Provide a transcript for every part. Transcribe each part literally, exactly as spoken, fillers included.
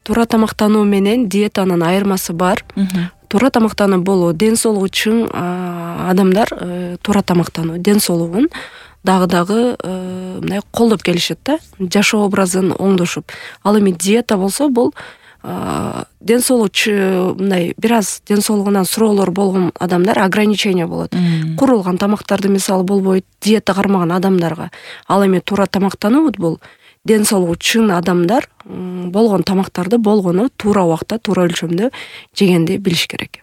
туура тамактануу менен диетанын айырмасы бар. Туура тамактануу бул ден соолугу чың адамдар туура тамактануу ден соолугун дагы дагы мындай колдоп келишет да, жашоо образын оңдошуп. Ал эми диета болсо бул ден соолугу мындай бир аз ден соолугунан суроолор болгон адамдар ограничение болот. Курулган тамактарды мисалы болбойт диета кармаган адамдарга. Ал эми туура тамактануу бул ден соолугу чың адамдар болгон тамактарды болгону туура убакта, туура өлчөмдө жегенди билиш керек.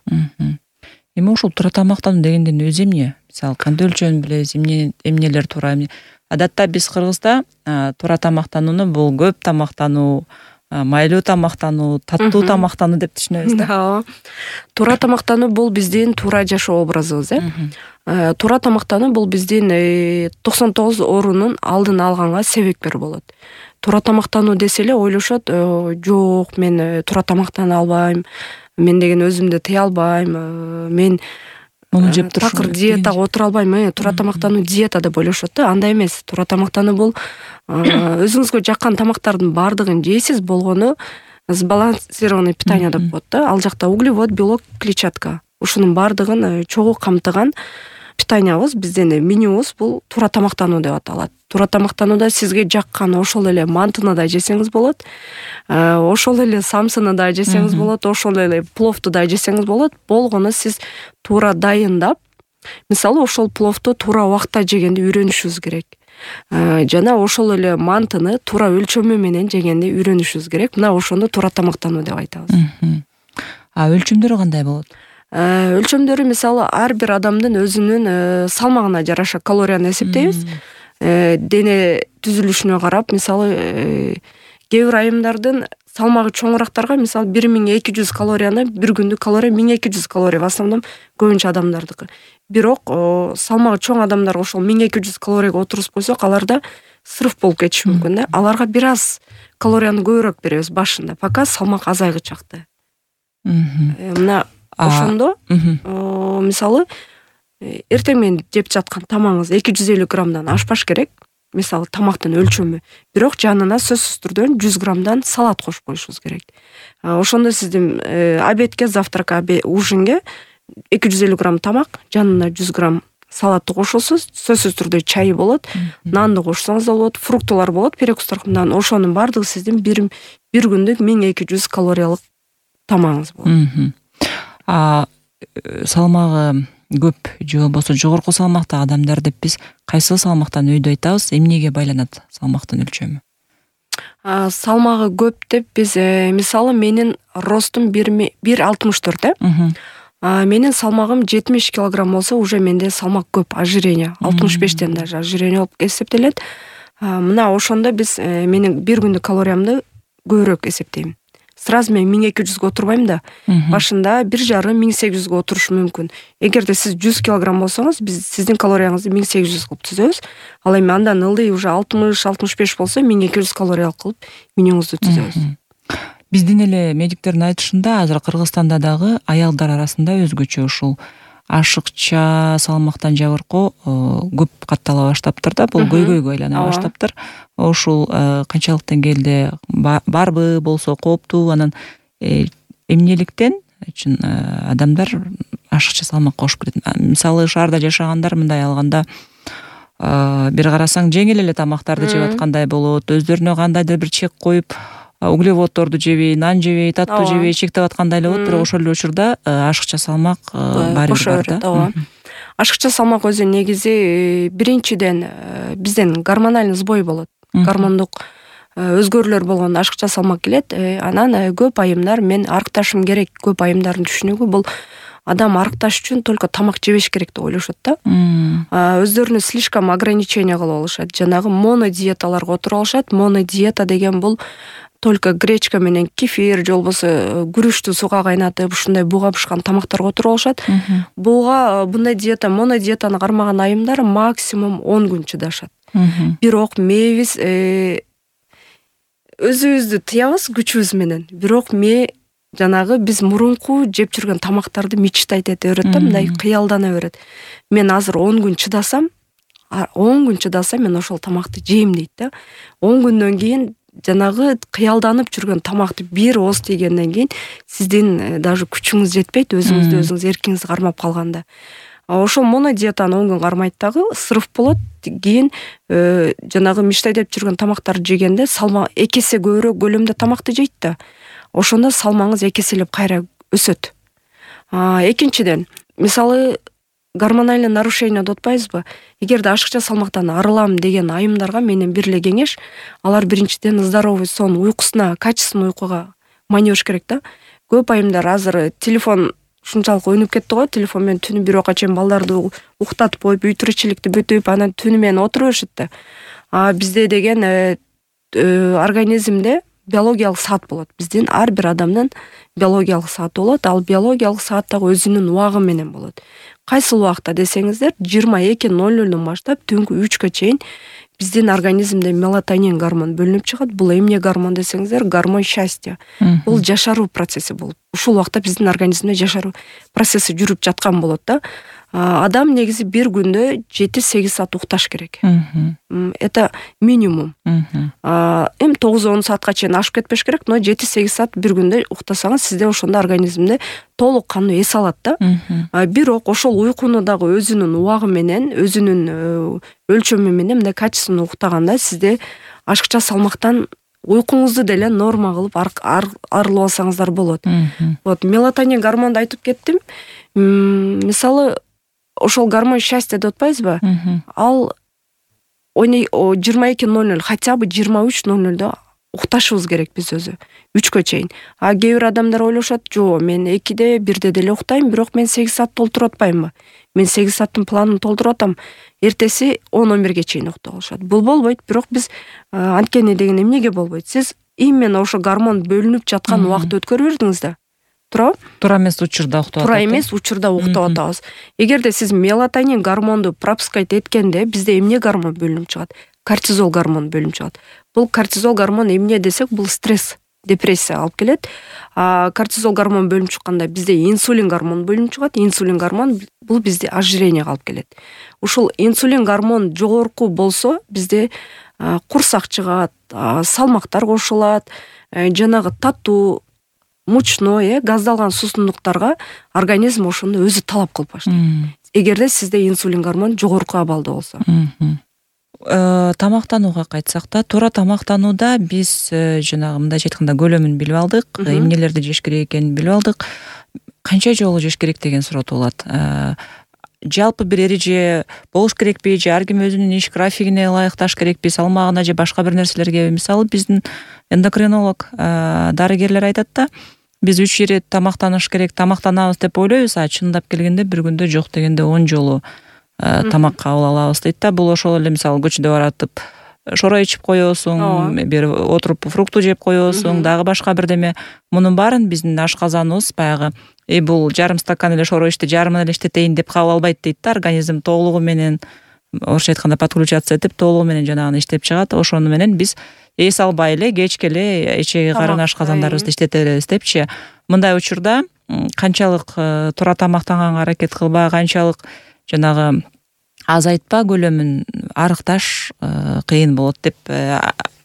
Эми ушул туура тамактануу дегенден өзү эмне? Мисалы кандай өлчөмүн билебиз, эмне эмнелер туура? Адатта биз Кыргызда туура тамактанууну бул көп тамактануу, майлуу тамактануу, таттуу тамактануу деп түшүнөбүз да. Туура тамактануу бул биздин туура жашоо образыбыз, э. Туура тамактануу бул биздин токсон тогуз оорунун алдын алганга себепкер болот. Туура тамактануу десе эле ойлошот, жок, мен туура тамактана албайм, мен деген өзүмдү тыя албайм, мен муну жеп турушум такыр диетага отура албайм, туура тамактануу диета деп ойлошот да. Андай эмес. Туура тамактануу бул өзүңүзгө жаккан тамактардын баардыгын жейсиз, болгону сбалансированный питание деп коет да. Ал жакта углевод, белок, клетчатка ушунун баардыгын чогуу камтыган питаниябыз, биздин менюбуз бул туура тамактануу деп аталат. Туура тамактанууда сизге жаккан ошол эле мантыны да жесеңиз болот, ошол эле самсыны да жесеңиз болот, ошол эле пловду да жесеңиз болот. Болгону сиз туура дайындап, мисалы ошол пловду туура убакта жегенди үйрөнүшүбүз керек. Жана ошол эле мантыны туура өлчөмү менен жегенди үйрөнүшүбүз керек. Мына ошону туура тамактануу деп айтабыз. А өлчөмдөрү кандай болот? Өлчөмдөрү мисалы ар бир адамдын өзүнүн салмагына жараша калорияны эсептейбиз. Дене түзүлүшүнө карап, мисалы кээ бир айымдардын салмагы чоңурактарга мисалы бир миң эки жүз калорияны бир күндүк калория миң эки жүз калория, в основном көбүнчө адамдардыкы. Бирок салмагы чоң адамдарга ошол миң эки жүз калорияга отургузуп койсок, аларда срыв болуп кетиши мүмкүн да. Аларга бир аз калорияны көбүрөөк беребиз башында, пока салмак азайгычакты. Мына ошондо мисалы эртең менен жеп жаткан тамагыңыз эки жүз элүү граммдан ашпаш керек. Мисалы тамактын өлчөмү. Бирок жанына сөзсүз түрдө жүз граммдан салат кошуп коюшубуз керек. Ошондо сиздин обедке, завтракка, ужинге эки жүз элүү грамм тамак, жанына жүз грамм салатты кошосуз, сөзсүз түрдө чайы болот, нанды кошсоңуз да болот, фруктылар болот, перекустардан. Ошонун баардыгы сиздин бир бир күндүк миң эки жүз калориялык тамагыңыз болот. А салмагы көп же болбосо жогорку салмактагы адамдар деп биз кайсы салмактан өйдө айтабыз? Эмнеге байланат салмактын өлчөмү? Салмагы көп деп биз мисалы менин ростум бир алтымыш төрт, э? Менин салмагым жетимиш килограмм болсо, уже менде салмак көп, ожирение, алтымыш бештен даже ожирение болуп эсептелет. Мына ошондо биз менин бир күндүк калориямды көбүрөөк эсептейм. Сразу мен миң эки жүзгө отурбайм да. Башында бир жарым миң сегиз жүзгө отурушу мүмкүн. Эгерде сиз жүз килограмм болсоңуз, биз сиздин калорияңызды миң сегиз жүз кылып түзөбүз. Ал эми андан ылдый уже алтымыш алтымыш беш болсо, миң эки жүз калориялык кылып менюңузду түзөбүз. Биздин эле медиктердин айтышында азыр Кыргызстанда дагы аялдар арасында өзгөчө ушул ашыкча салмактан жабыркоо көп каттала баштаптыр да, бул көйгөйгө айлана баштаптыр. Ушул канчалык деңгээлде барбы, болсо кооптуу, анан эмнеликтен үчүн адамдар ашыкча салмак кошуп кетет? Мисалы шаарда жашагандар мындай алганда бир карасаң жеңил эле тамактарды жеп аткандай болот, өздөрүнө кандайдыр бир чек коюп, углеводдорду жебей, нан жебей, таттуу жебей чектеп аткандай эле болот, бирок ошол эле учурда ашыкча салмак баары бар да. Ашыкча салмак өзү негизи биринчиден бизден гормональный сбой болот. Гормондук өзгөрүүлөр болгондо ашыкча салмак келет. Анан көп айымдар мен арыкташым керек, көп айымдардын түшүнүгү бул адам арыкташ үчүн только тамак жебеш керек деп ойлошот да. Өздөрүнү слишком ограничение кылып алышат. Жанагы монодиеталарга отуруп алышат. Монодиета деген бул только гречка менен кефир же болбосо күрүчтү сууга кайнатып, ушундай буга бышкан тамактарга отуруп алышат. Буга мындай диета, монодиетаны кармаган айымдар максимум он күн чыдашат. Бирок мээбиз өзүбүздү тыябыз күчүбүз менен. Бирок мээ жанагы биз мурунку жеп жүргөн тамактарды мечтать эте берет да, мындай кыялдана берет. Мен азыр он күн чыдасам, он күн чыдасам мен ошол тамакты жейм дейт да. он күндөн кийин жанагы кыялданып жүргөн тамакты бир ооз тийгенден кийин сиздин даже күчүңүз жетпейт, өзүңүздү өзүңүз эркиңиз кармап калганда. Ошол монодиетаны он күн кармайт дагы, срыв болот. Кийин жанагы мечтай деп жүргөн тамактарды жегенде салмак эки эсе көбүрөөк көлөмдө тамакты жейт да. Ошондо салмагыңыз эки эселеп кайра өсөт. Экинчиден, мисалы гормональный нарушение деп атпайбызбы? Эгерде ашыкча салмактан арылам деген айымдарга менен бир эле кеңеш, алар биринчиден здоровый сон, уйкусуна, качественный уйкуга майнеш керек да. Көп айымдар азыр телефон ушунчалык ойнуп кетти го, телефон менен түнү бир окка чейин балдарды уктатып коюп, үй тиричиликти бүтүп, анан түнү менен отура беришет да. А бизде деген организмде биологиялык саат болот. Биздин ар бир адамдын биологиялык сааты болот. Ал биологиялык саат дагы өзүнүн убагы менен болот. Кайсыл убакта десеңиздер, жыйырма эки ноль нолдон баштап түнкү үчкө чейин биздин организмде мелатонин гормон бөлүнүп чыгат. Бул эмне гормон десеңиздер, гормон счастья. Бул жашаруу процесси болуп. Ушул убакта биздин организмде жашаруу процесси жүрүп жаткан болот да. Адам негизи бир күндө жети сегиз саат укташ керек. Это минимум. Эми тогуз он саатка чейин ашып кетпеш керек, но жети сегиз саат бир күндө уктасаңыз, сизде ошондо организмде толук кандуу эс алат да. Бирок ошол уйкуну дагы өзүнүн убагы менен, өзүнүн өлчөмү менен, мындай качественный уктаганда сизде ашыкча салмактан уйкуңузду деле норма кылып арылып алсаңыздар болот. Вот мелатонин гормонду айтып кеттим. Мисалы ошол гормон счастья деп атпайбызбы? Ал жыйырма эки ноль ноль, хотя бы жыйырма үч ноль нолдо укташыбыз керек биз өзү, үчкө чейин. А кээ бир адамдар ойлошот, жок, мен экиде, бирде деле уктайм, бирок мен сегиз саат толтуруп атпаймынбы? Мен сегиз сааттын планын толтуруп атам, эртеси он он бирге чейин уктап алышат. Бул болбойт, бирок биз анткени деген эмнеге болбойт? Сиз именно ошо гормон бөлүнүп жаткан убакытты өткөрүп бердиңиз да. Туурабы? Туура эмес учурда уктап атат. Туура эмес учурда уктап атабыз. Эгерде сиз мелатонин гормонду пропускать эткенде, бизде эмне гормон бөлүнүп чыгат? Кортизол гормон бөлүнүп чыгат. Бул кортизол гормон эмне десек, бул стресс, депрессия алып келет. А кортизол гормон бөлүнүп чыкканда бизде инсулин гормон бөлүнүп чыгат. Инсулин гормон бул бизде ожирениеге алып келет. Ушул инсулин гормон жогорку болсо, бизде курсак чыгат, салмактар кошулат, жанагы таттуу, мучной, газдалган суусундуктарга организм ошону өзү талап кылып баштайт. Эгерде сизде инсулин гормон жогорку абалда болсо. Тамактанууга кайтсак да, туура тамактанууда биз жанагы мындай айтканда көлөмүн билип алдык, эмнелерди жеш керек экенин билип алдык. Канча жолу жеш керек деген суроо туулат. Жалпы бир эреже болуш керекпи, же ар ким өзүнүн иш графигине ылайыкташ керекпи, салмагына же башка бир нерселерге? Мисалы биздин эндокринолог дарыгерлер айтат да, биз үч ирет тамактаныш керек, тамактанабыз деп ойлойбуз, а чындап келгенде бир күндө жок дегенде он жолу тамак кабыл алабыз дейт да. Бул ошол эле мисалы көчөдө баратып шора ичип коесуң, бир отуруп фрукту жеп коесуң, дагы башка бирдеме. Мунун баарын биздин ашказаныбыз баягы и бул жарым стакан эле шора ичти, жарымын эле иштетейин деп кабыл албайт дейт да. Организм толугу менен, орусча айтканда подключаться этип, толугу менен жанагыны иштеп чыгат. Ошону менен биз эс албай эле кечке эле ичеги карын ашказандарыбызды иштете беребиз депчи. Мындай учурда канчалык туура тамактанганга аракет кылба, канчалык жанагы азайтпа көлөмүн арыкташ кыйын болот деп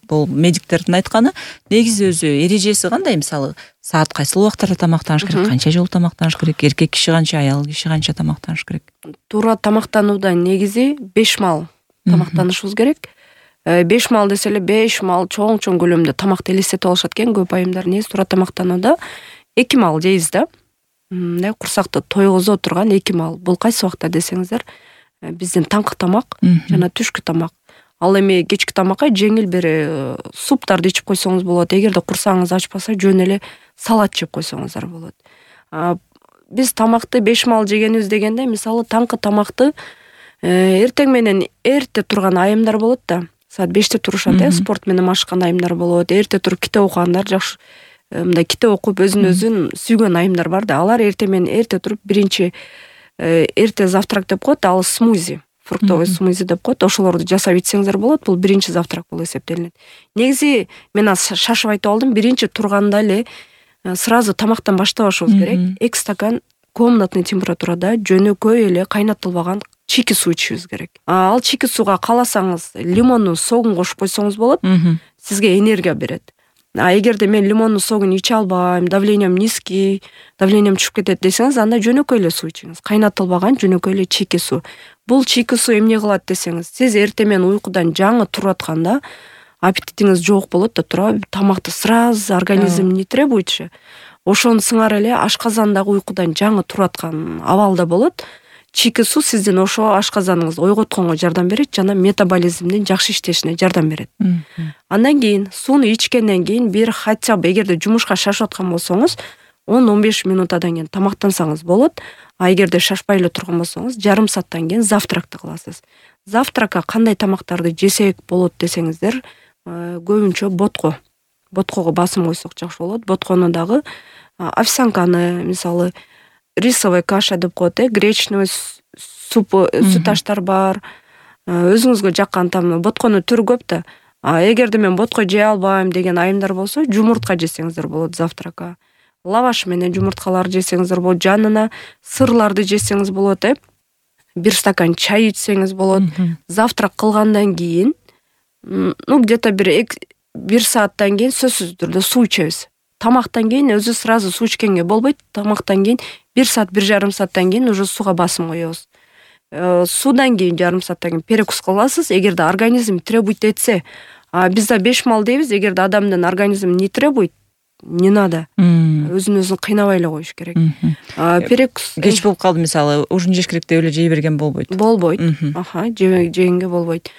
бул медиктердин айтканы. Негизи өзү эрежеси кандай? Мисалы саат кайсыл убактарда тамактаныш керек, канча жолу тамактаныш керек, эркек киши канча, аял киши канча тамактаныш керек? Туура тамактанууда негизи беш маал тамактанышыбыз керек. беш маал десе эле беш маал чоң-чоң көлөмдө тамакты элестетип алышат экен көп айымдар. Негизи туура тамактанууда эки маал жейбиз да. Мындай курсакты тойгозо турган эки маал. Бул кайсы убакта десеңиздер, биздин таңкы тамак жана түшкү тамак. Ал эми кечки тамакка жеңил бир суптарды ичип койсоңуз болот. Эгерде курсагыңыз ачпаса, жөн эле салат жеп койсоңуздар болот. Биз тамакты беш маал жегенибиз дегенде, мисалы таңкы тамакты эртең менен эрте турган айымдар болот да. Саат беште турушат, э, спорт менен машыккан айымдар болот. Эрте туруп китеп окугандар, жакшы мындай китеп окуп өзүн өзүн сүйгөн айымдар бар да. Алар эрте менен эрте туруп биринчи эрте завтрак деп коет, ал смузи, фруктовый смузи деп коет. Ошолорду жасап ичсеңиздер болот. Бул биринчи завтрак болуп эсептелинет. Негизи мен шашып айтып алдым, биринчи турганда эле сразу тамактан баштабашыбыз керек. эки стакан комнатный температурада жөнөкөй эле кайнатылбаган чийки суу ичишибиз керек. Ал чийки сууга кааласаңыз лимондун согун кошуп койсоңуз болот. сизге энергия берет. А эгерде мен лимондун согун иче албайм, давлениям низкий, давлениям түшүп кетет десеңиз, анда жөнөкөй эле суу ичиңиз. Кайнатылбаган жөнөкөй эле чийки суу. Бул чийки суу эмне кылат десеңиз, сиз эртең менен уйкудан жаңы туруп атканда аппетитиңиз жок болот да, туура тамакты сразу организм не требует. Ошону сыңар эле ашказандагы уйкудан жаңы туруп аткан абалда болот. Чийки суу сиздин ошо ашказаныңызды ойготконго жардам берет жана метаболизмдин жакшы иштешине жардам берет. Андан кийин сууну ичкенден кийин бир хотя бы эгерде жумушка шашып аткан болсоңуз он он беш минутадан кийин тамактансаңыз болот. А эгерде шашпай эле турган болсоңуз жарым сааттан кийин завтракты кыласыз. Завтракка кандай тамактарды жесек болот десеңиздер, көбүнчө ботко. Боткого басым койсок жакшы болот. Боткону дагы овсянканы, мисалы, рисовая каша деп коет, гречневый суп, сүт аштар бар. Өзүңүзгө жаккан там ботконун түрү көп да. А эгерде мен ботко жей албайм деген айымдар болсо, жумуртка жесеңиздер болот завтракка. Лаваш менен жумурткалар жесеңиздер болот, жанына сырларды жесеңиз болот, э. Бир стакан чай ичсеңиз болот. Завтрак кылгандан кийин, ну где-то бир бир сааттан кийин сөзсүз түрдө суу ичебиз. Тамактан кийин өзү сразу суу ичкенге болбойт. Тамактан кийин бир саат, бир жарым сааттан кийин уже сууга басым коебуз. Суудан кийин жарым сааттан кийин перекус кыласыз, эгерде организм требует этсе. А бизде беш мал дейбиз, эгерде адамдын организм не требует, не надо. Өзүн өзүн кыйнабай эле коюш керек. Перекус кеч болуп калды, мисалы, ужин жеш керек деп эле жей берген болбойт. Болбойт. Аха, жегенге болбойт.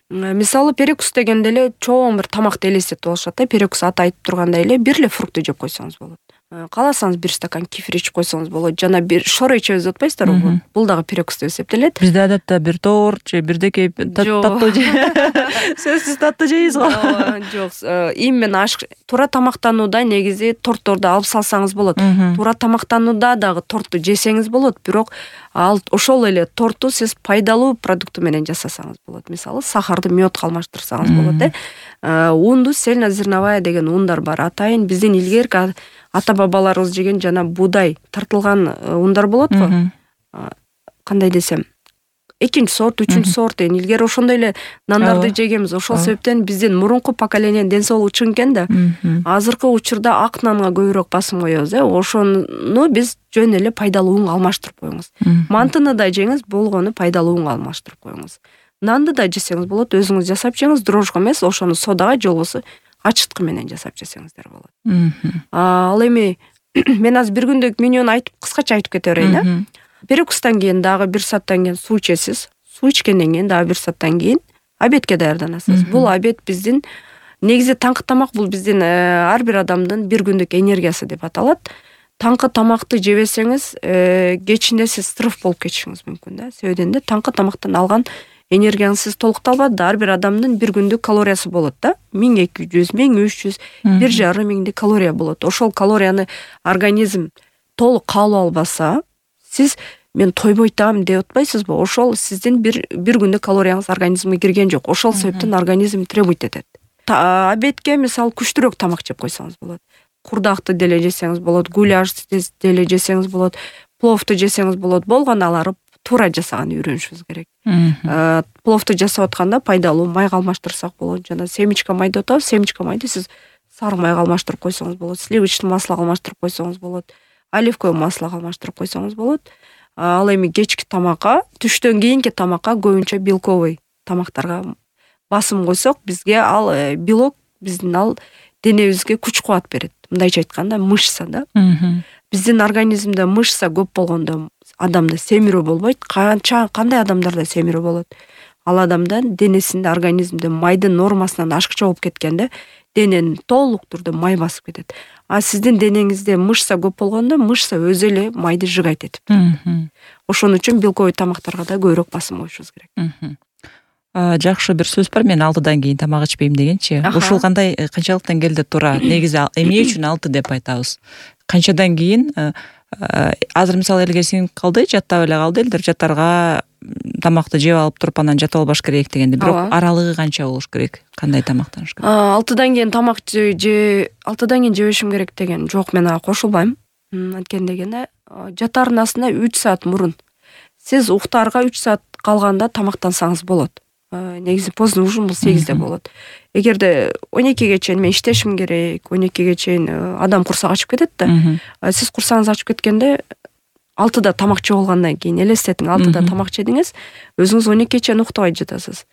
Мисалы, перекус дегенде эле чоң бир тамакты элестетип алышат да. Перекус аты айтып тургандай эле бир эле фрукты жеп койсоңуз болот. Кааласаңыз бир стакан кефир ичип койсоңуз болот. Жана бир шора ичебиз деп атпайсыздарбы? Бул дагы перекус деп эсептелет. Бизде адатта бир торт же бирдеке таттуу же. Сөзсүз таттуу жейбиз го. Жок, именно аш туура тамактанууда негизи тортторду алып салсаңыз болот. Туура тамактанууда дагы торту жесеңиз болот, бирок ал ошол эле торту сиз пайдалуу продукты менен жасасаңыз болот. Мисалы, сахарды мёдко алмаштырсаңыз болот, э. Унду цельнозерновая деген ундар бар. Атайын биздин илгерки ата-бабаларыбыз жеген жана буудай тартылган ундар болот го. Кандай десем, экинчи сорт, үчүнчү сорт деген илгери ошондой эле нандарды жегенбиз. Ошол себептен биздин мурунку поколениянын ден соолугу чың экен да. Азыркы учурда ак нанга көбүрөөк басым коебуз, э. Ошону биз жөн эле пайдалуу унга алмаштырып коюңуз. Мантыны да жеңиз, болгону пайдалуу унга алмаштырып коюңуз. Нанды да жесеңиз болот, өзүңүз жасап жеңиз, дрожжго эмес, ошону содага же болбосо ачыткы менен жасап жесеңиздер болот. Ал эми мен азыр бир күндүк менюну айтып, кыскача айтып кете берейин, э. Перекустан кийин дагы бир сааттан кийин суу ичесиз. Суу ичкенден кийин дагы бир сааттан кийин обедке даярданасыз. Бул обед биздин негизи таңкы тамак, бул биздин ар бир адамдын бир күндүк энергиясы деп аталат. Таңкы тамакты жебесеңиз, кечинде сиз стресс болуп кетишиңиз мүмкүн да. Себебинде да таңкы тамактан алган энергияңыз сиз толукталбады. Ар бир адамдын бир күндүк калориясы болот да. миң эки жүз, миң үч жүз, бир жарым миңдик калория болот. Ошол калорияны организм толук кабыл албаса, сиз мен тойбойтам деп атпайсызбы? Ошол сиздин бир бир күндүк калорияңыз организмге кирген жок. Ошол себептен организм требует этет. Обедке мисалы күчтүүрөөк тамак жеп койсоңуз болот. Курдакты деле жесеңиз болот, гуляш деле жесеңиз болот, пловду жесеңиз болот. Болгону алары туура жасаган үйрөнүшүбүз керек. Пловду жасап атканда пайдалуу майга алмаштырсак болот. Жана семечка май деп атабыз. Семечка майды сиз сары майга алмаштырып койсоңуз болот, сливочный маслого алмаштырып койсоңуз болот, оливковый маслого алмаштырып койсоңуз болот. Ал эми кечки тамакка, түштөн кийинки тамакка көбүнчө белковый тамактарга басым койсок, бизге ал белок, биздин ал денебизге күч кубат берет. Мындайча айтканда, мышца да. Биздин организмде мышца көп болгондо адамда семирүү болбойт. Канча кандай адамдарда семирүү болот? Ал адамдын денесинде, организмде майдын нормасынан ашыкча болуп кеткенде, денени толук түрдө май басып кетет. А сиздин денеңизде мышца көп болгондо, мышца өзү эле майды жыгайт этип. Ошон үчүн белковый тамактарга да көбүрөөк басым коюшубуз керек. Жакшы бир сөз бар, мен алтыдан кийин тамак ичпейм дегенчи. Ушул кандай канчалыктан келди туура? Негизи эмне үчүн алты деп айтабыз? Канчадан кийин азыр мисалы элге сиңип калды, жаттап эле калды элдер, жаттарга тамакты жеп алып туруп анан жатып албаш керек дегенде. Бирок аралыгы канча болуш керек? Кандай тамактаныш керек? алтыдан кийин тамак же алтыдан кийин жебешим керек деген жок, мен ага кошулбайм. Анткени дегенде жатаарына үч саат мурун. Сиз уктаарга үч саат калганда тамактансаңыз болот. негизи поздний ужин бул сегизде болот. Эгерде он экиге чейин мен иштешим керек, он экиге чейин адам курсак ачып кетет да. Сиз курсагыңыз ачып кеткенде алтыда тамак жеп алгандан кийин элестетиң, алтыда тамак жедиңиз, өзүңүз он экиге чейин уктабай жатасыз.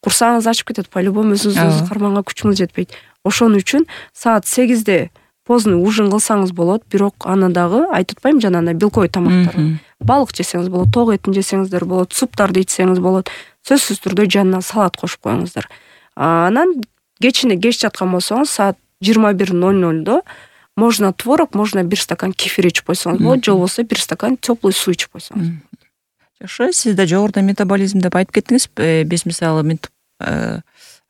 Курсагыңыз ачып кетет, по-любому өзүңүздү карманга күчүңүз жетпейт. Ошон үчүн саат сегизде поздний ужин кылсаңыз болот, бирок аны дагы айтып атпайм жанагындай белковый тамактар. Балык жесеңиз болот, ток этин жесеңиздер болот, суптарды ичсеңиз болот. Сөзсүз түрдө жанына салат кошуп коюңуздар. Анан кечине кеч жаткан болсоңуз саат жыйырма бир ноль нольдо можно творог, можно бир стакан кефир ичип койсоңуз болот, же болбосо бир стакан теплый суу ичип койсоңуз. Жакшы, сиз да жогоруда метаболизм деп айтып кеттиңиз. Биз мисалы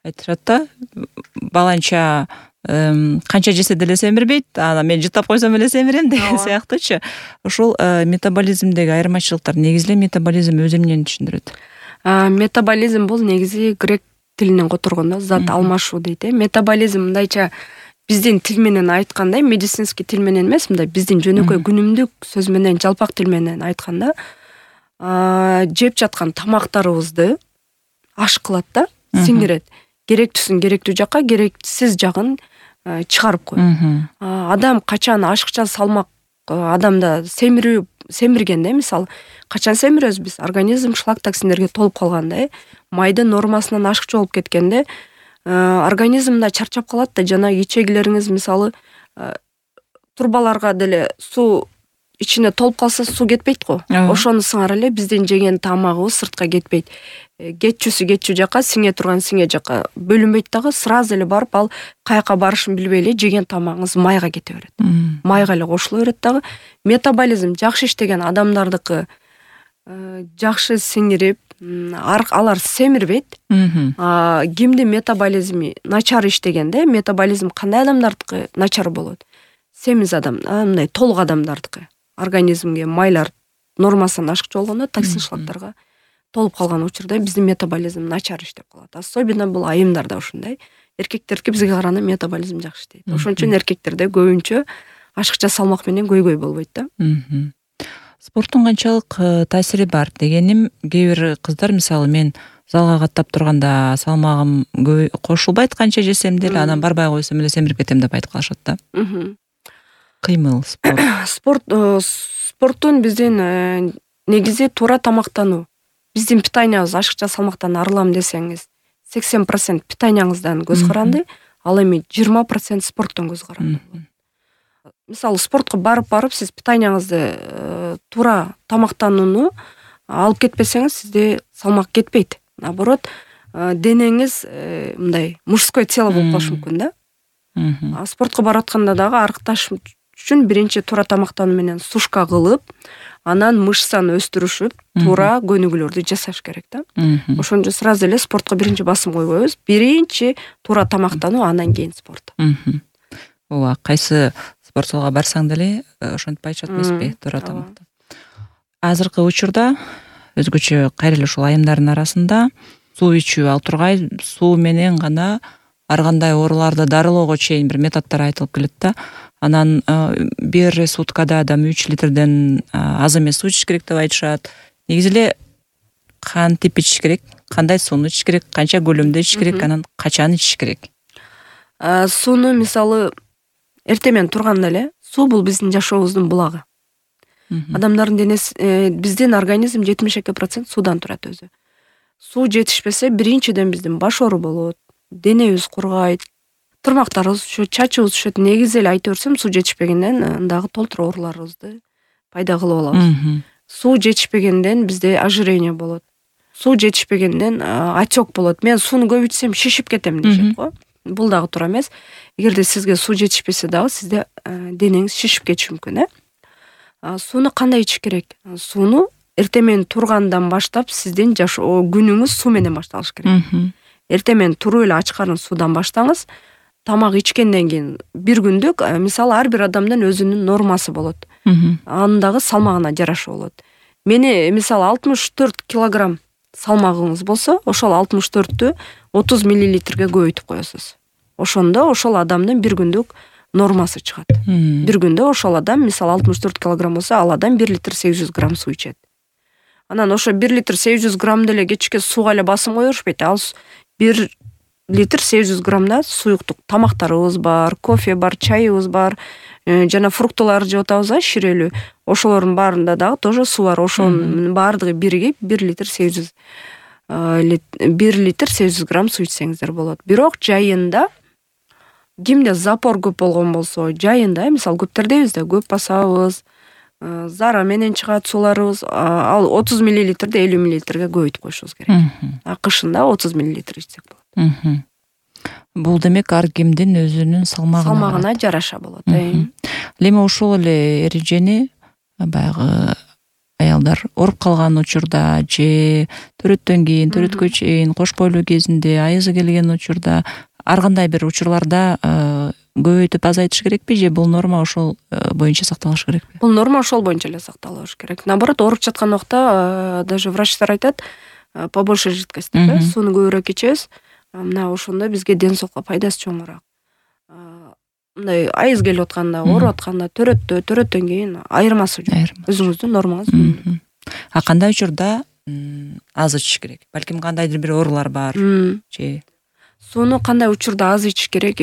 айтышат да, баланча канча жесе деле семирбейт, анан мен жытап койсом эле семирем деген сыяктуучу. Ошол метаболизмдеги айырмачылыктар негизи эле метаболизм өзү эмнени түшүндүрөт? Метаболизм бул негизи грек тилинен которгондо зат алмашуу дейт. Метаболизм мындайча биздин тил менен айтканда, медицинский тил менен эмес, мындай биздин жөнөкөй күнүмдүк сөз менен, жалпак тил менен айтканда, жеп жаткан тамактарыбызды ашкылат да, сиңирет. Керектүүсүн керектүү жакка, керексиз жагын чыгарып коет. Адам качан ашыкча салмак адамда семирүү семиргенде, мисалы, качан семирөбүз биз? Организм шлак токсиндерге толуп калганда, майдын нормасынан ашыкча болуп кеткенде, организмда чарчап калат да, жана ичегилериңиз мисалы турбаларга деле суу ичине толуп калса, суу кетпейт го. Ошону сыңар эле биздин жеген тамагыбыз сыртка кетпейт. Кетчүсү кетчү жака, сиңе турган сиңе жака бөлүнбөйт дагы, сразу эле барып ал каяка барышын билбей эле жеген тамагыңыз майга кете берет. Майга эле кошула берет дагы. Метаболизм жакшы иштеген адамдардыкы жакшы сиңирип, алар семирбейт. Кимдин метаболизми начар иштегенде, метаболизм кандай адамдардыкы начар болот? Семиз адам, мындай толук адамдардыкы. Организмге майлар нормасынан ашыкча болгондо токсин шлактарга толуп калган учурда биздин метаболизм начар иштеп калат. Особенно бул айымдарда ушундай. Эркектердики бизге караганда метаболизм жакшы иштейт. Ошон үчүн эркектерде көбүнчө ашыкча салмак менен көйгөй болбойт да. Спорттун канчалык таасири бар дегеним, кээ бир кыздар мисалы мен залга каттап турганда салмагым кошулбайт, канча жесем деле, анан барбай койсом эле семирип кетем деп айтып калышат да. Кыймыл спорт. Спорт спорттун биздин негизи туура тамактануу. Биздин питаниябыз ашыкча салмактан арылам десеңиз, сексен процент питанияңыздан көз каранды, ал эми жыйырма процент спорттон көз каранды. Мисалы, спортко барып-барып сиз питанияңызды туура тамактанууну алып кетпесеңиз, сизде салмак кетпейт. Наоборот, денеңиз мындай мужской тело болуп калышы мүмкүн да. Спортко баратканда дагы арыкташ үчүн биринчи туура тамактануу менен сушка кылып, анан мышцаны өстүрүшүп, туура көнүгүүлөрдү жасаш керек да. Ошон үчүн сразу эле спортко биринчи басым койбойбуз. Биринчи туура тамактануу, андан кийин спорт. Ооба, кайсы спорт залга барсаң деле ошентип айтышат эмеспи, туура тамактан. Азыркы учурда өзгөчө кайра эле ушул айымдардын арасында суу ичүү ал тургай, суу менен гана ар кандай ооруларды дарылоого чейин бир методдор айтылып келет да. Анан бир суткада адам үч литрден аз эмес суу ичиш керек деп айтышат. Негизи эле кантип ичиш керек, кандай сууну ичиш керек, канча көлөмдө ичиш керек, анан качан ичиш керек? Сууну мисалы эртең менен турганда эле, суу бул биздин жашообуздун булагы. Адамдардын денеси, биздин организм жетимиш эки процент суудан турат өзү. Суу жетишпесе, биринчиден биздин баш оору болот, денебиз кургайт, тырмактарыбыз түшөт, чачыбыз түшөт. Негизи эле айта берсем, суу жетишпегенден дагы толтура ооруларыбызды пайда кылып алабыз. Суу жетишпегенден бизде ожирение болот. Суу жетишпегенден отек болот. Мен сууну көп ичсем шишип кетем дешет го. Бул дагы туура эмес. Эгерде сизге суу жетишпесе дагы сизде денеңиз шишип кетиши мүмкүн, э? Сууну кандай ичиш керек? Сууну эртең менен тургандан баштап сиздин жашоо күнүңүз суу менен башталыш керек. Эртең менен туруп эле ач карын суудан баштаңыз. Тамак ичкенден кийин бир күндүк, мисалы, ар бир адамдын өзүнүн нормасы болот. Анын дагы салмагына жараша болот. Мени мисалы алтымыш төрт килограмм салмагыңыз болсо, ошол алтымыш төрттү отуз миллилитрге көбөйтүп коесуз. Ошондо ошол адамдын бир күндүк нормасы чыгат. Бир күндө ошол адам мисалы алтымыш төрт килограмм болсо, ал адам бир литр сегиз жүз грамм суу ичет. Анан ошо бир литр сегиз жүз грамм деле кечке сууга эле басым кое беришпейт. Ал бир литр сегиз жүз граммда суюктук тамактарыбыз бар, кофе бар, чайыбыз бар, жана фруктыларды жеп атабыз, ширелүү. Ошолордун баарында дагы тоже суу бар. Ошонун баардыгы биригип бир литр сегиз жүз бир литр сегиз жүз грамм суу ичсеңиздер болот. Бирок жайында кимде запор көп болгон болсо, жайында мисалы көптөр дейбиз да, көп басабыз, зара менен чыгат сууларыбыз, ал отуз миллилитрди элүү миллилитрге көбөйтүп коюшубуз керек. А кышында отуз миллилитр ичсек болот. Бул демек ар кимдин өзүнүн салмагына салмагына жараша болот. Эми ошол эле эрежени баягы аялдар ооруп калган учурда же төрөттөн кийин, төрөткө чейин, кош бойлуу кезинде, айызы келген учурда, ар кандай бир учурларда көбөйтүп азайтыш керекпи же бул норма ошол боюнча сакталыш керекпи? Бул норма ошол боюнча эле сакталыш керек. Наоборот, ооруп жаткан убакта даже врачтар айтат, побольше жидкость, сууну көбүрөөк ичебиз. Мына ошондо бизге ден соолукка пайдасы чоңураак. Мындай айыз келип атканда, ооруп атканда, төрөттө, төрөттөн кийин айырмасы жок. Өзүңүздүн нормаңыз үнүмдүү. А кандай учурда аз ичиш керек? Балким кандайдыр бир оорулар бар же? Сууну кандай учурда аз ичиш керек?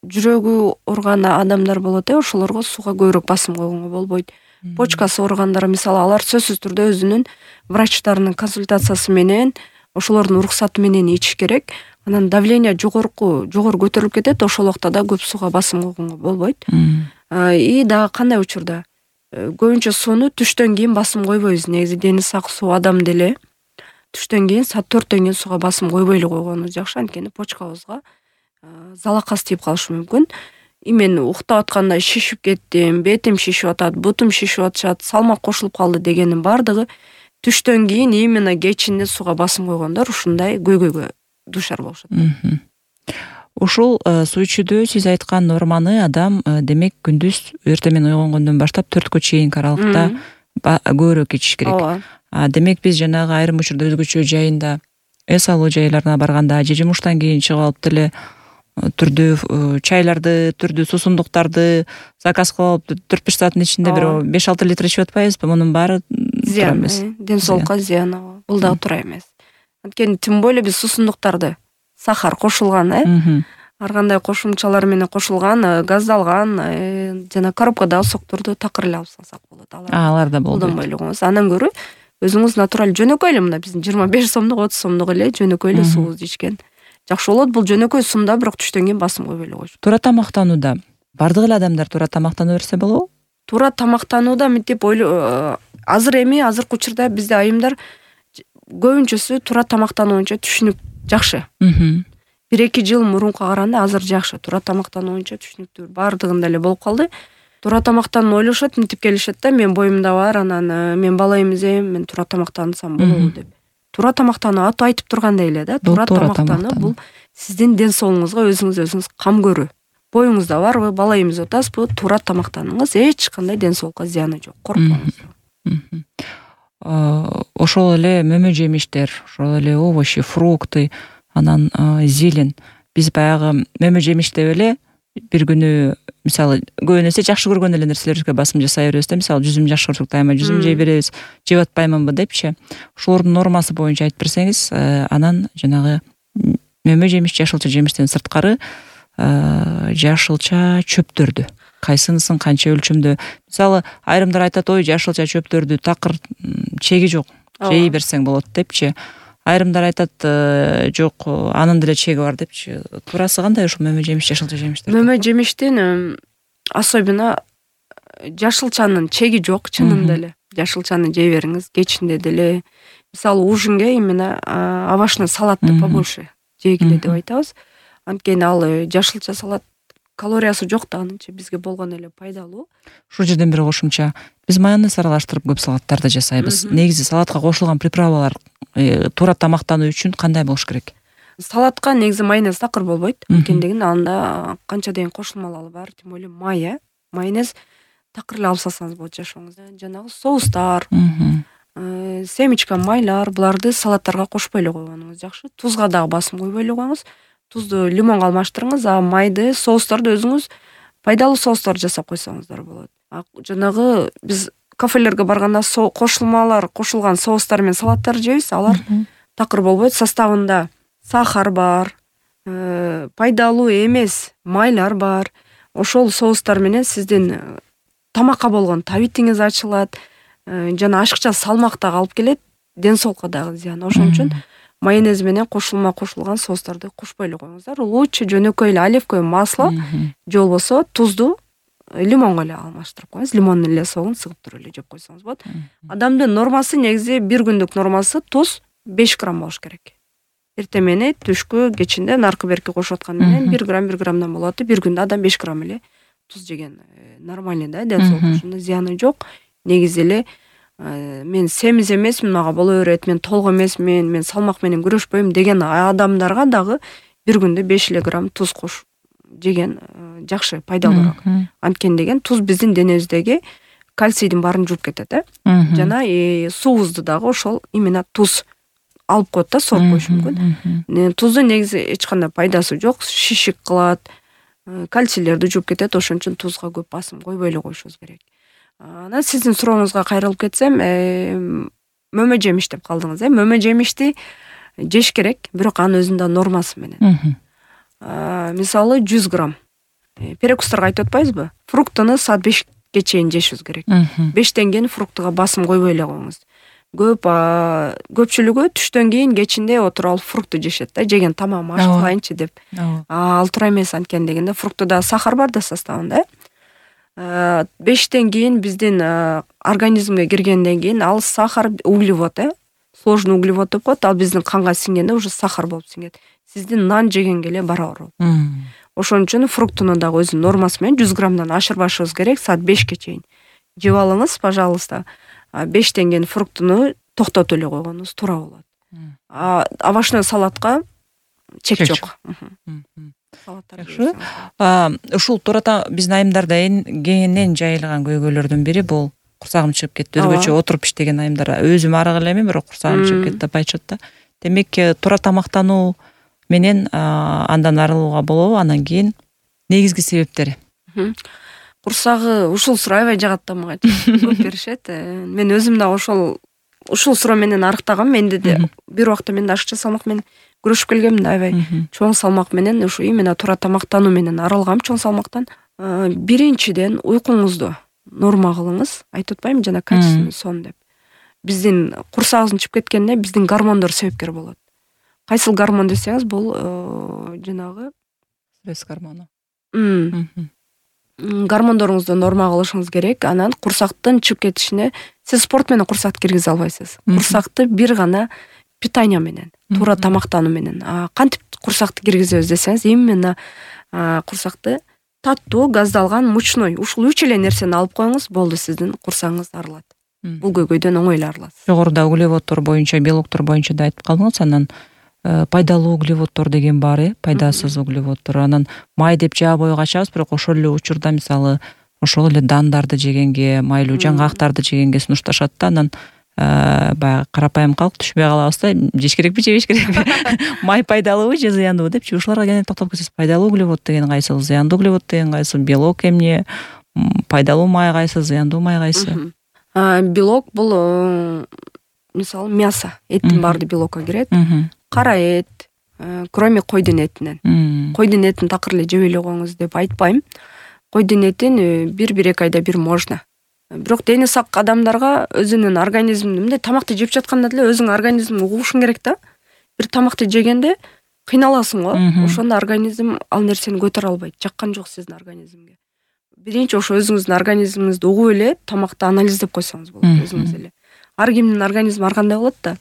Жүрөгү ооруган адамдар болот, ошолорго сууга көбүрөөк басым койгонго болбойт. Почкасы ооругандар, мисалы, алар сөзсүз түрдө өзүнүн врачтарынын консультациясы менен, ошолордун уруксаты менен ичиш керек. Анан давление жогорку, жогору көтөрүлүп кетет, ошол убакта да көп сууга басым койгонго болбойт. И дагы кандай учурда? Көбүнчө сууну түштөн кийин басым койбойбуз. Негизи дени сак суу адам деле түштөн кийин, саат төрттөн кийин сууга басым койбой эле койгонубуз жакшы. Анткени почкабызга залакас тийип калышы мүмкүн. И мен уктап атканда шишип кеттим, бетим шишип атат, бутум шишип атышат, салмак кошулуп калды дегенин баардыгы түштөн кийин именно кечинде сууга басым койгондор ушундай көйгөйгө дуушар болушат. Ушул суу ичүүдө сиз айткан норманы адам демек күндүз эртең менен ойгонгондон баштап төрткө чейинки аралыкта көбүрөөк ичиш керек. Демек биз жанагы айрым учурда өзгөчө жайында эс алуу жайларына барганда же жумуштан кийин чыгып алып деле түрдүү чайларды, түрдүү суусундуктарды заказ кылып алып төрт беш сааттын ичинде бир беш алты литр ичип атпайбызбы? Мунун баары зыян эмес. Ден соолукка зыян. Бул дагы туура эмес. Анткени тим более биз суусундуктарды сахар кошулган, э? Ар кандай кошумчалар менен кошулган, газдалган, жана коробкадагы сокторду такыр эле алып салсак болот. Алар да болбойт. Колдонбой эле коебуз. Андан көрө өзүңүз натураль жөнөкөй эле, мына биздин жыйырма беш сомдук, отуз сомдук эле жөнөкөй эле суубузду ичкен жакшы болот. Бул жөнөкөй сумда, бирок түштөн кийин басым койбой эле коюш. Туура тамактанууда бардык эле адамдар туура тамактана берсе болобу? Туура тамактанууда мынтип ойлоо, азыр эми азыркы учурда бизде айымдар көбүнчөсү туура тамактануу боюнча түшүнүк жакшы. бир эки жыл мурунка караганда азыр жакшы. Туура тамактануу боюнча түшүнүктүү баардыгында эле болуп калды. Туура тамактанууну ойлошот, мынтип келишет да, мен боюмда бар, анан мен бала эмизем, мен туура тамактансам болобу деп. Туура тамактануу аты айтып тургандай эле да, туура тамактануу бул сиздин ден соолугуңузга өзүңүз өзүңүз кам көрүү. Боюңузда барбы, бала эмизип атасызбы, туура тамактаныңыз, эч кандай ден соолукка зыяны жок. Коркпоңуз. Ошол эле мөмө жемиштер, ошол эле овощи, фрукты, анан зелень. Биз баягы мөмө жемиш деп эле бир күнү мисалы көбүн эсе жакшы көргөн эле нерселерибизге басым жасай беребиз да, мисалы жүзүм жакшы көрсөк дайыма жүзүм жей беребиз, жеп атпаймынбы депчи. Ошолордун нормасы боюнча айтып берсеңиз, анан жанагы мөмө жемиш, жашылча жемиштен сырткары жашылча чөптөрдү кайсынысын канча өлчөмдө, мисалы айрымдар айтат, ой жашылча чөптөрдү такыр чеги жок, жей берсең болот депчи. Айрымдар айтат, жок, анын деле чеги бар депчи. Туурасы кандай ушул мөмө жемиш, жашылча жемиштер? Мөмө жемиштин особенно жашылчанын чеги жок, чынында эле. Жашылчаны жей бериңиз, кечинде деле. Мисалы ужинге именно овощной салатты побольше жегиле деп айтабыз. Анткени ал жашылча салат калориясы жок да, анынча бизге болгон эле пайдалуу. Ушул жерден бир кошумча, биз майонез аралаштырып көп салаттарды жасайбыз. Негизи салатка кошулган приправалар туура тамактануу үчүн кандай болуш керек? Салатка негизи майонез такыр болбойт. Анткени анда канча деген кошулмалары бар, тем более май, майонез такыр эле алып салсаңыз болот жашооңузда. Жанагы соустар, семечка, майлар, буларды салаттарга кошпой эле койгонуңуз жакшы. Тузга дагы басым койбой эле коюңуз. Тузду лимонго алмаштырыңыз, а майды, соустарды өзүңүз пайдалуу соустар жасап койсоңуздар болот. Жанагы биз кафелерге барганда кошулмалар кошулган соустар менен салаттар жейбиз, алар такыр болбойт. Составында сахар бар, пайдалуу эмес майлар бар. Ошол соустар менен сиздин тамакка болгон табитиңиз ачылат, жана ашыкча салмак дагы алып келет, ден соолукка дагы зыян. Ошон үчүн майонез менен кошулма кошулган соустарды кошпой эле коюңуздар. Лучше жөнөкөй эле оливковое масло же болбосо тузду лимонго эле алмаштырып коюңуз. Лимондун эле соогун сыгып туруп эле жеп койсоңуз болот. Адамдын нормасы негизи бир күндүк нормасы туз беш грамм болуш керек. Эртемени, түшкү, кечинде наркы берки кошуп аткан менен бир грамм бир граммдан болот. Бир күндө адам беш грамм эле туз жеген нормальный да, ден соолукка ошондо зыяны жок. Негизи эле мен семиз эмесмин, мага боло берет, мен толук эмесмин, мен салмак менен күрөшпөйм деген адамдарга дагы бир күндө беш эле грамм туз кош жеген жакшы, пайдалуураак. Анткени деген туз биздин денебиздеги кальцийдин баарын жууп кетет, э? Жана суубузду дагы ошол именно туз алып коет да, сооп коюшу мүмкүн. Туздун негизи эч кандай пайдасы жок, шишик кылат, кальцийлерди жууп кетет. Ошон үчүн тузга көп басым койбой эле коюшубуз керек. Анан сиздин сурооңузга кайрылып кетсем, мөмө жемиш деп калдыңыз, э? Мөмө жемишти жеш керек, бирок анын өзүндө нормасы менен. Мисалы жүз грамм. Перекустарга айтып атпайбызбы? Фруктуну саат бешке чейин жешибиз керек. бештен кийин фруктуга басым койбой эле коюңуз. Көп көпчүлүгү түштөн кийин кечинде отуруп алып фрукту жешет да, жеген тамагым аш кылайынчы деп. Ал туура эмес, анткени дегенде фруктуда сахар бар да составында. бештен кийин биздин организмге киргенден кийин ал сахар углевод, э? Сложный углевод деп коет, ал биздин канга сиңгенде уже сахар болуп сиңет. Сиздин нан жегенге эле барабар болот. Ошон үчүн фруктуну дагы өзүнүн нормасы менен жүз граммдан ашырбашыбыз керек, саат бешке чейин. Жеп алыңыз, пожалуйста. бештен кийин фруктуну токтотуп эле койгонуңуз туура болот. Овощной салатка чек жок. Ушул турата биздин айымдарда кеңинен жайылган көйгөйлөрдүн бири бул курсагым чыгып кетти. Өзгөчө отуруп иштеген айымдар, өзүм арык элемин, бирок курсагым чыгып кетти деп айтышат да. Демек, туура тамактануу менен андан арылууга болобу? Анан кийин негизги себептери? Курсагы ушул суроо аябай жагат да мага. Көп беришет. Мен өзүм да ошол ушул суроо менен арыктагам. Менде де бир убакта мен ашыкча салмак менен күрөшүп келгемин да, аябай чоң салмак менен, ушу именно туура тамактануу менен арылгам чоң салмактан. Биринчиден уйкуңузду норма кылыңыз. Айтып атпаймынбы жана качественный сон деп. Биздин курсагыбыздын чыгып кеткенине биздин гормондор себепкер болот. Кайсыл гормон десеңиз, бул жанагы стресс гормону. Гормондоруңузду норма кылышыңыз керек. Анан курсактын чыгып кетишине сиз спорт менен курсакты киргизе албайсыз. Курсакты бир гана питание менен, туура тамактануу менен. Кантип курсакты киргизебиз десеңиз, именно курсакты таттуу, газдалган, мучной, ушул үч эле нерсени алып коюңуз, болду, сиздин курсагыңыз арылат. Бул көйгөйдөн оңой эле арыласыз. Жогоруда углеводдор боюнча, белоктор боюнча да айтып калдыңыз. Анан пайдалуу углеводдор деген бар, э, пайдасыз углеводдор. Анан май деп жаап ойго ачабыз, бирок ошол эле учурда мисалы ошол эле дандарды жегенге, майлуу жаңгактарды жегенге сунушташат да. Анан баягы карапайым калк түшпөй калабыз да, жеш керекпи, жебеш керекпи? Май пайдалуубу же зыяндуубу депчи, ушуларга кенен токтолуп кетсеңиз, пайдалуу углевод деген кайсыл, зыяндуу углевод деген кайсыл, белок эмне, пайдалуу май кайсы, зыяндуу май кайсы? Белок бул мисалы мясо, эттин баары белокко кирет. Кара эт, кроме койдун этинен. Койдун этин такыр эле жебей эле коюңуз деп айтпайм. Койдун этин бир-бир эки айда бир можно. Бирок дени сак адамдарга өзүнүн организмин мындай тамакты жеп жатканда деле өзүңүн организмиңди угушуң керек да. Бир тамакты жегенде кыйналасың го. Ошондо организм ал нерсени көтөрө албайт. Жаккан жок сиздин организмге. Биринчи ошо өзүңүздүн организмиңизди угуп эле тамакты анализдеп койсоңуз болот өзүңүз эле. Ар кимдин организми ар кандай болот да.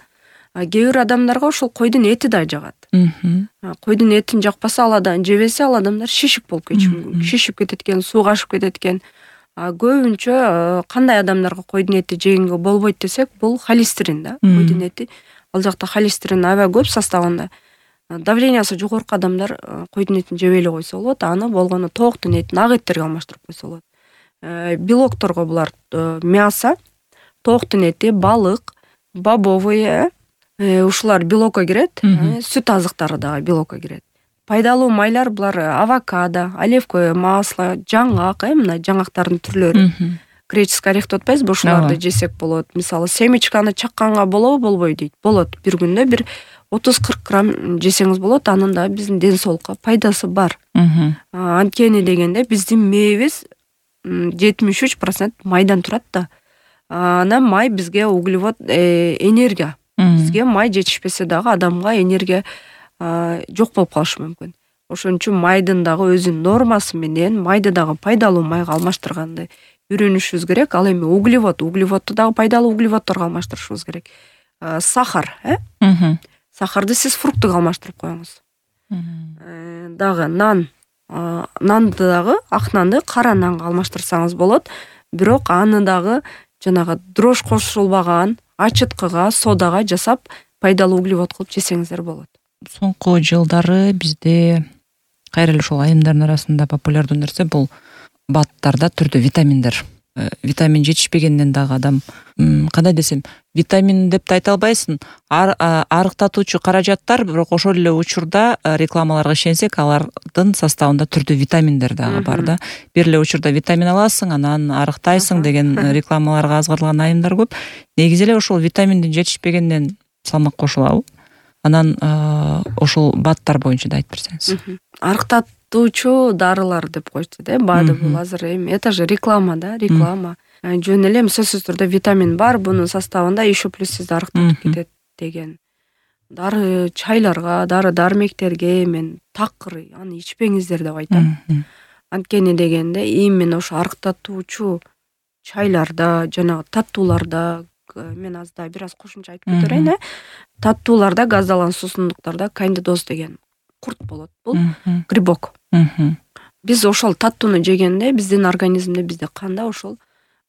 Кээ бир адамдарга ошол койдун эти да жагат. Койдун этин жакпаса, ал адам жебесе, ал адамдар шишип болуп кетиши мүмкүн. Шишип кетет экен, суу кашып кетет экен. Көбүнчө кандай адамдарга койдун эти жегенге болбойт десек, бул холестерин да. Койдун эти, ал жакта холестерин аябай көп составында. Давлениясы жогорку адамдар койдун этин жебей эле койсо болот. Аны болгону тооктун этин ак эттерге алмаштырып койсо болот. Белокторго булар мясо, тооктун эти, балык, бобовые, ушулар белокко кирет. Сүт азыктары дагы белокко кирет. Пайдалуу майлар булар авокадо, оливковое масло, жаңгак, э, мына жаңгактардын түрлөрү. греческий орех деп атпайбызбы, ошоларды жесек болот. Мисалы семечканы чакканга болобу, болбойбу дейт. Болот. Бир күндө бир отуз кырк грамм жесеңиз болот. Анын да биздин ден соолукка пайдасы бар. Анткени дегенде биздин мээбиз жетимиш үч процент майдан турат да. Анан май бизге углевод, энергия. Бизге май жетишпесе дагы адамга энергия жок болуп калышы мүмкүн. Ошон үчүн майдын дагы өзүнүн нормасы менен майды дагы пайдалуу майга алмаштырганды үйрөнүшүбүз керек. Ал эми углевод, углеводду дагы пайдалуу углеводдорго алмаштырышыбыз керек. Сахар, э? Сахарды сиз фруктуга алмаштырып коюңуз. Дагы нан, нанды дагы, ак нанды кара нанга алмаштырсаңыз болот. Бирок аны дагы жанагы дрожь кошулбаган ачыткыга, содага жасап пайдалуу углевод кылып жесеңиздер болот. Соңку жылдары бизде кайра эле ушул айымдардын арасында популярдуу нерсе бул баттарда түрдүү витаминдер. Витамин жетишпегенден дагы адам кандай десем, витамин деп да айта албайсың. Арыктатуучу каражаттар, бирок ошол эле учурда рекламаларга ишенсек, алардын составында түрдүү витаминдер дагы бар да. Бир эле учурда витамин аласың, анан арыктайсың деген рекламаларга азгырылган айымдар көп. Негизи эле ошол витаминдин жетишпегенден салмак кошулабы? Анан ошол баттар боюнча да айтып берсеңиз. Арыктатуучу дарылар деп коечу да, БАДы бул азыр эми это же реклама да, реклама. Жөн эле сөзсүз түрдө витамин бар, бунун составында еще плюс сизди арыктатып кетет деген. Дары чайларга, дары дармектерге мен такыр аны ичпеңиздер деп айтам. Анткени дегенде именно ошо арыктатуучу чайларда, жана таттууларда, мен азда бир аз кошумча айтып кетерейин, э? Таттууларда, газдалган суусундуктарда кандидоз деген курт болот. Бул грибок. Биз ошол таттууну жегенде биздин организмде, бизде канда ошол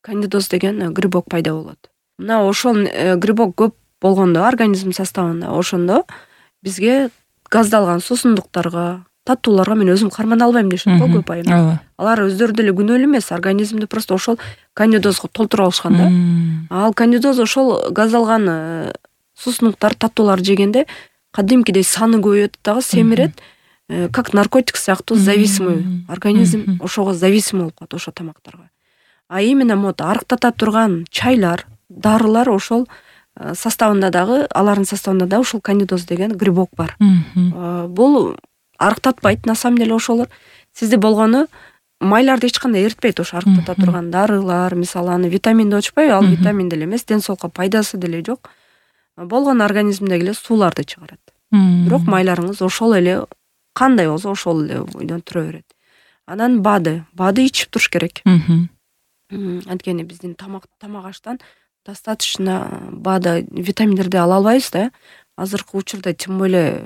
кандидоз деген грибок пайда болот. Мына ошол грибок көп болгондо организм составында, ошондо бизге газдалган суусундуктарга, таттууларга мен өзүм кармана албайм дешет го көп айым. Алар өздөрү деле күнөөлүү эмес, организмди просто ошол кандидозго толтуруп алышкан да. Ал кандидоз ошол газдалган суусундуктар, таттуулар жегенде кадимкидей саны көбөйөт дагы, семирет, как наркотик сыяктуу зависимый, организм ошого зависимый болуп калат ошо тамактарга. А именно мот арыктата турган чайлар, дарылар ошол составында дагы, алардын составында да ошол кандидоз деген грибок бар. Бул арыктатпайт, на самом деле ошолор сизде болгону майларды эч кандай эритпейт. Ошо арыктата турган дарылар, мисалы аны витамин деп атышпайбы? Ал витамин деле эмес, ден соолукка пайдасы деле жок. Болгон организмдеги эле сууларды чыгарат. Бирок майларыңыз ошол эле кандай болсо ошол эле бойдон тура берет. Анан БАДы, БАДы ичип туруш керек. Анткени биздин тамак тамак аштан достаточно БАДы, витаминдерди ала албайбыз да. Азыркы учурда тем более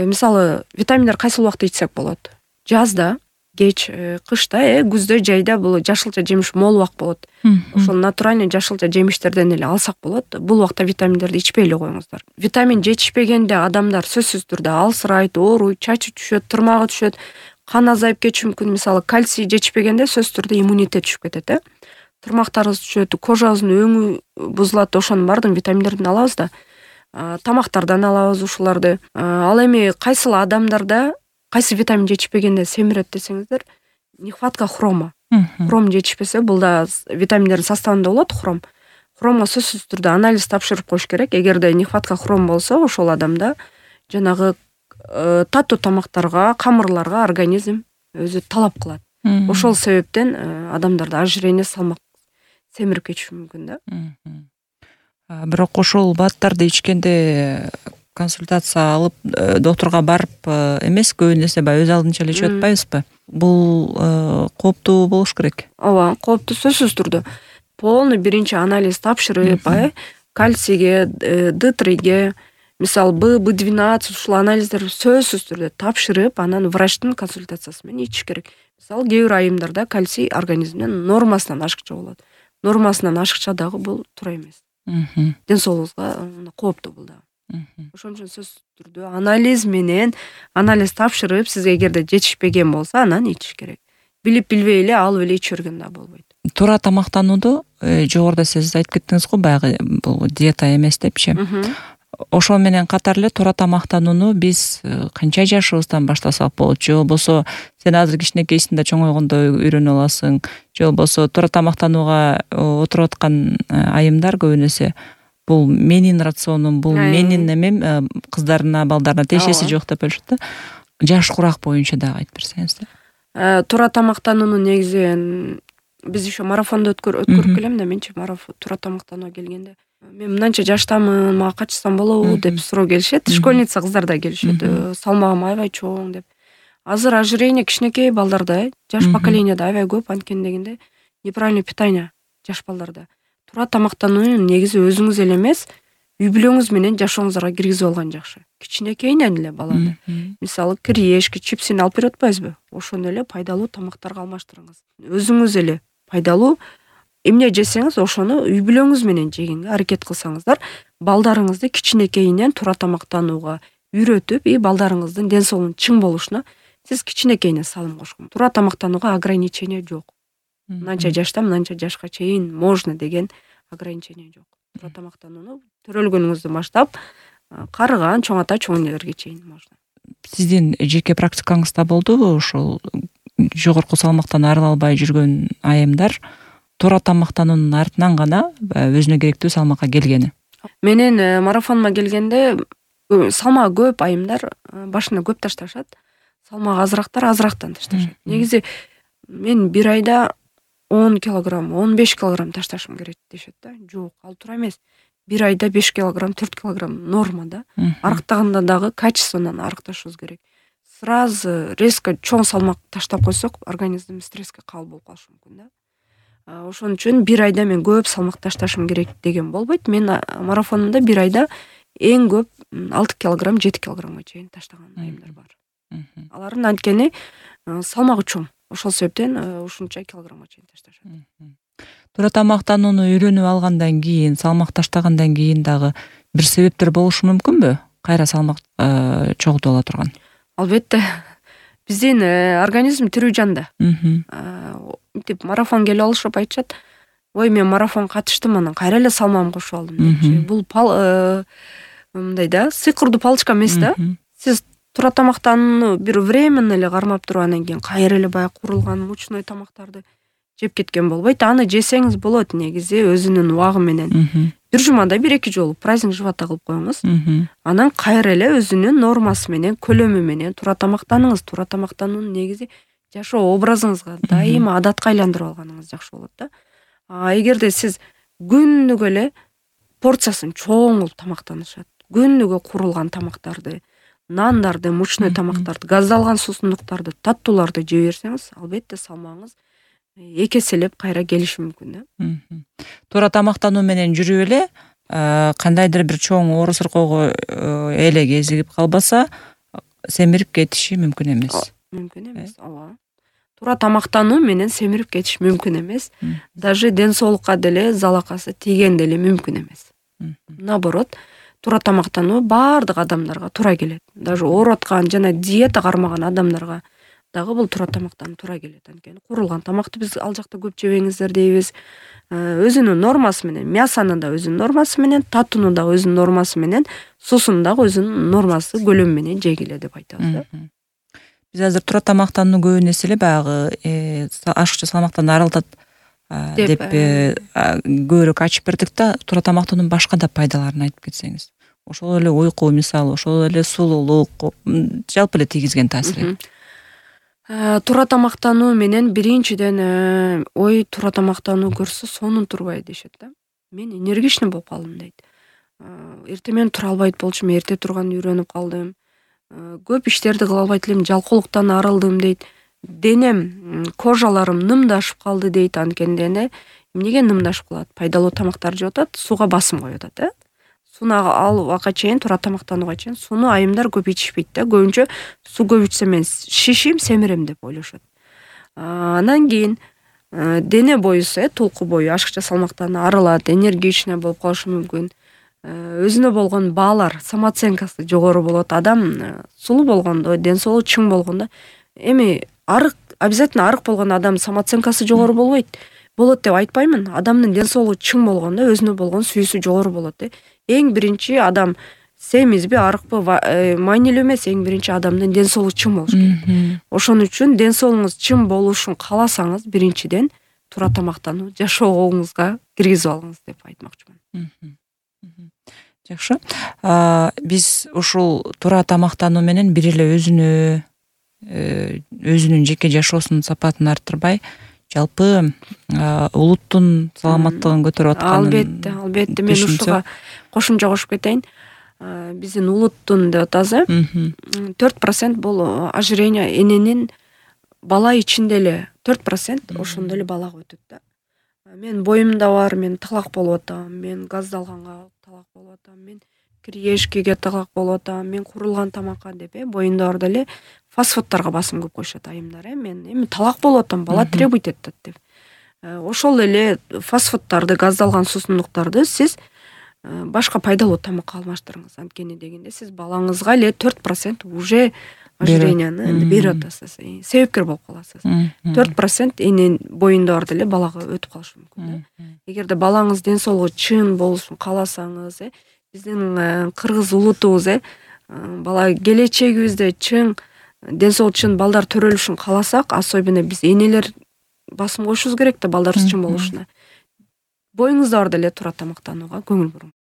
мисалы витаминдер кайсыл убакта ичсек болот? Жазда, кеч, кышта, э, күздө, жайда бул жашылча жемиш мол убак болот. Ошол натуральный жашылча жемиштерден эле алсак болот. Бул убакта витаминдерди ичпей эле коюңуздар. Витамин жетишпегенде адамдар сөзсүз түрдө алсырайт, ооруйт, чачы түшөт, тырмагы түшөт, кан азайып кетиши мүмкүн. Мисалы кальций жетишпегенде сөзсүз түрдө иммунитет түшүп кетет, э. Тырмактарыбыз түшөт, кожабыздын өңү бузулат, ошонун баардыгын витаминдерден алабыз да. Тамактардан алабыз ушуларды. Ал эми кайсыл адамдарда кайсы витамин жетишпегенде семирет десеңиздер, нехватка хрома. Хром жетишпесе, бул да витаминдердин составында болот хром. Хромго сөзсүз түрдө анализ тапшырып коюш керек. Эгерде нехватка хром болсо, ошол адамда жанагы таттуу тамактарга, камырларга организм өзү талап кылат. Ошол себептен адамдарда ожирение, салмак семирип кетиши мүмкүн да. Бирок ошол баттарды ичкенде консультация алып, доктурга барып эмес, көбүнесе баягы өз алдынча эле ичип атпайбызбы? Бул кооптуу болуш керек. Ооба, кооптуу сөзсүз түрдө. Полный биринчи анализ тапшырып, кальцийге, дэ триге, мисалы Б, бэ двенадцать ушул анализдерди сөзсүз түрдө тапшырып, анан врачтын консультациясы менен ичиш керек. Мисалы кээ бир айымдарда кальций организмден нормасынан ашыкча болот. Нормасынан ашыкча дагы бул туура эмес. Ден соолугубузга кооптуу бул да. Ошон үчүн сөзсүз түрдө анализ менен анализ тапшырып, сизге эгерде жетишпеген болсо, анан ичиш керек. Билип билбей эле алып эле иче берген да болбойт. Туура тамактанууду жогоруда сиз айтып кеттиңиз го, баягы бул диета эмес депчи. ошол менен катар эле туура тамактанууну биз канча жашыбыздан баштасак болот, же болбосо сен азыр кичинекейсиң да чоңойгондо үйрөнүп аласың, же болбосо туура тамактанууга отуруп аткан айымдар көбүн эсе бул менин рационум, бул менин эмем, кыздарына, балдарына тиешеси жок деп ойлошот да. Жаш курак боюнча дагы айтып берсеңиз да. Туура тамактанууну негизи биз еще марафондо өткөрүп келем да, менчи марафон туура тамактанууга келгенде мен мынанча жаштамын, мага качсам болобу деп суроо келишет. Школьница кыздар да келишет. Салмагым аябай чоң деп. Азыр ожирение кичинекей балдарда, жаш поколенияда аябай көп, анткени дегенде неправильный питание жаш балдарда. Туура тамактанууну негизи өзүңүз эле эмес, үй бүлөңүз менен жашооңуздарга киргизип алган жакшы. Кичинекейинен эле баланы. Мисалы, кириешки, чипсин алып берип атпайбызбы? Ошону эле пайдалуу тамактарга алмаштырыңыз. Өзүңүз эле пайдалуу эмне жесеңиз, ошону үй бүлөңүз менен жегенге аракет кылсаңыздар, балдарыңызды кичинекейинен туура тамактанууга үйрөтүп, и балдарыңыздын ден соолугунун чың болушуна сиз кичинекейинен салым кошкон. Туура тамактанууга ограничение жок. Мынанча жашта, мынанча жашка чейин можно деген ограничение жок. Туура тамактанууну төрөлгөнүңүздөн баштап, карыган, чоң ата, чоң энелерге чейин можно. Сиздин жеке практикаңызда болдубу ошол жогорку салмактан арыла албай жүргөн айымдар туура тамактануунун артынан гана өзүнө керектүү салмакка келгени? Менин марафоныма келгенде салмагы көп айымдар башына көп ташташат, салмагы азырактар азырактан ташташат. Негизи мен бир айда он килограмм, он беш килограмм ташташым керек дешет да. Жок, ал туура эмес. Бир айда беш килограмм, төрт килограмм норма да. Арыктаганда дагы качественный арыкташыбыз керек. Сразу резко чоң салмак таштап койсок, организм стресске кабыл болуп калышы мүмкүн да. Ошон үчүн бир айда мен көп салмак ташташым керек деген болбойт. Мен марафонумда бир айда эң көп алты килограмм, жети килограммга чейин таштаган айымдар бар. Алардын анткени салмагы чоң. Ошол себептен ушунча килограммга чейин ташташат. Туура тамактанууну үйрөнүп алгандан кийин, салмак таштагандан кийин дагы бир себептер болушу мүмкүнбү? Кайра салмак чогултуп ала турган? Албетте. Биздин организм тирүү жан да. Мынтип марафон келип алышып айтышат. Ой, мен марафон катыштым, анан кайра эле салмагымды кошуп алдым депчи. Бул мындай да, сыйкырдуу палочка эмес да. Сиз туура тамактанууну бир временно эле кармап туруп анан кийин кайра эле баягы курулган мучной тамактарды жеп кеткен болбойт. Аны жесеңиз болот негизи өзүнүн убагы менен. Бир жумада бир эки жолу праздник живота кылып коюңуз. Анан кайра эле өзүнүн нормасы менен, көлөмү менен туура тамактаныңыз. Туура тамактануунун негизи жашоо образыңызга дайыма адатка айландырып алганыңыз жакшы болот да. А эгерде сиз күнүгө эле порциясын чоң кылып тамактанышат, күнүгө курулган тамактарды, нандарды, мучной тамактарды, газдалган суусундуктарды, таттууларды жей берсеңиз, албетте салмагыңыз эки эселеп кайра келиши мүмкүн да. Туура тамактануу менен жүрүп эле кандайдыр бир чоң оору сыркоого эле кезигип калбаса, семирип кетиши мүмкүн эмес. Мүмкүн эмес, ооба. Туура тамактануу менен семирип кетиш мүмкүн эмес. Даже ден соолукка деле залакасы тийген деле мүмкүн эмес. Наоборот, туура тамактануу баардык адамдарга туура келет. Даже ооруп аткан жана диета кармаган адамдарга дагы бул туура тамактануу туура келет. Анткени курулган тамакты биз ал жакта көп жебеңиздер дейбиз. Өзүнүн нормасы менен, мясанын да өзүнүн нормасы менен, таттуунун да өзүнүн нормасы менен, суусун дагы өзүнүн нормасы, көлөмү менен жегиле деп айтабыз да. Биз азыр туура тамактанууну көбүн эсе эле баягы ашыкча салмактан арылтат деп көбүрөөк ачып бердик да, туура тамактануунун башка да пайдаларын айтып кетсеңиз. Ошол эле уйку мисалы, ошол эле сулуулук, жалпы эле тийгизген таасири. Туура тамактануу менен биринчиден ой туура тамактануу көрсө сонун турбай дешет да. Мен энергичный болуп калдым дейт. Эртең менен тура албайт болчумун, эрте турганды үйрөнүп калдым. Көп иштерди кыла албайт элем, жалкоолуктан арылдым дейт. Денем, кожаларым нымдашып калды дейт. Анткени дене эмнеге нымдашып калат? Пайдалуу тамактар жеп атат, сууга басым коюп атат, э? Сууну алууга чейин, туура тамактанууга чейин сууну айымдар көп ичишпейт да. Көбүнчө суу көп ичсем мен шишим, семирем деп ойлошот. Анан кийин дене боюсу, э, толку бою ашыкча салмактан арылат, энергичный болуп калышы мүмкүн. Өзүнө болгон баалар, самооценкасы жогору болот. Адам сулуу болгондо, ден соолугу чың болгондо, эми арык, обязательно арык болгон адам самооценкасы жогору болбойт. Болот деп айтпаймын. Адамдын ден соолугу чың болгондо өзүнө болгон сүйүүсү жогору болот, э. Эң биринчи адам семизби арыкпы маанилүү эмес, эң биринчи адамдын ден соолугу чың болуш керек. Ошон үчүн ден соолугуңуз чың болушун кааласаңыз, биринчиден туура тамактануу жашоогуңузга киргизип алыңыз деп айтмакчымын. Жакшы. Биз ушул туура тамактануу менен бир эле өзүнө өзүнүн жеке жашоосунун сапатын арттырбай, жалпы улуттун саламаттыгын көтөрүп атканын. Албетте, албетте. Мен ушуга кошумча кошуп кетейин. Биздин улуттун деп атабыз, төрт процент бул ожирение эненин бала ичинде эле төрт процент ошондо эле балага өтөт да. Мен боюмда бар, мен талак болуп атам, мен газдалганга талак болуп атам, мен кириешкеге талак болуп атам, мен курулган тамакка деп э боюмда бар деле фастфудтарга басым көп коюшат айымдар. Э мен эми талак болуп атам, бала требуйт этет деп. Ошол эле фастфудтарды, газдалган суусундуктарды сиз башка пайдалуу тамакка алмаштырыңыз. Анткени дегенде сиз балаңызга эле төрт процент уже ожиренияны берип атасыз, себепкер болуп каласыз. төрт процент энен боюнда бар деле балага өтүп калышы мүмкүн да. Эгерде балаңыз ден соолугу чың болушун кааласаңыз, э биздин кыргыз улутубуз, э бала келечегибизде чың ден соолугу чың балдар төрөлүшүн кааласак, особенно биз энелер басым коюшубуз керек да балдарыбыз чың болушуна. Боюңузда бар деле туура тамактанууга көңүл буруңуз.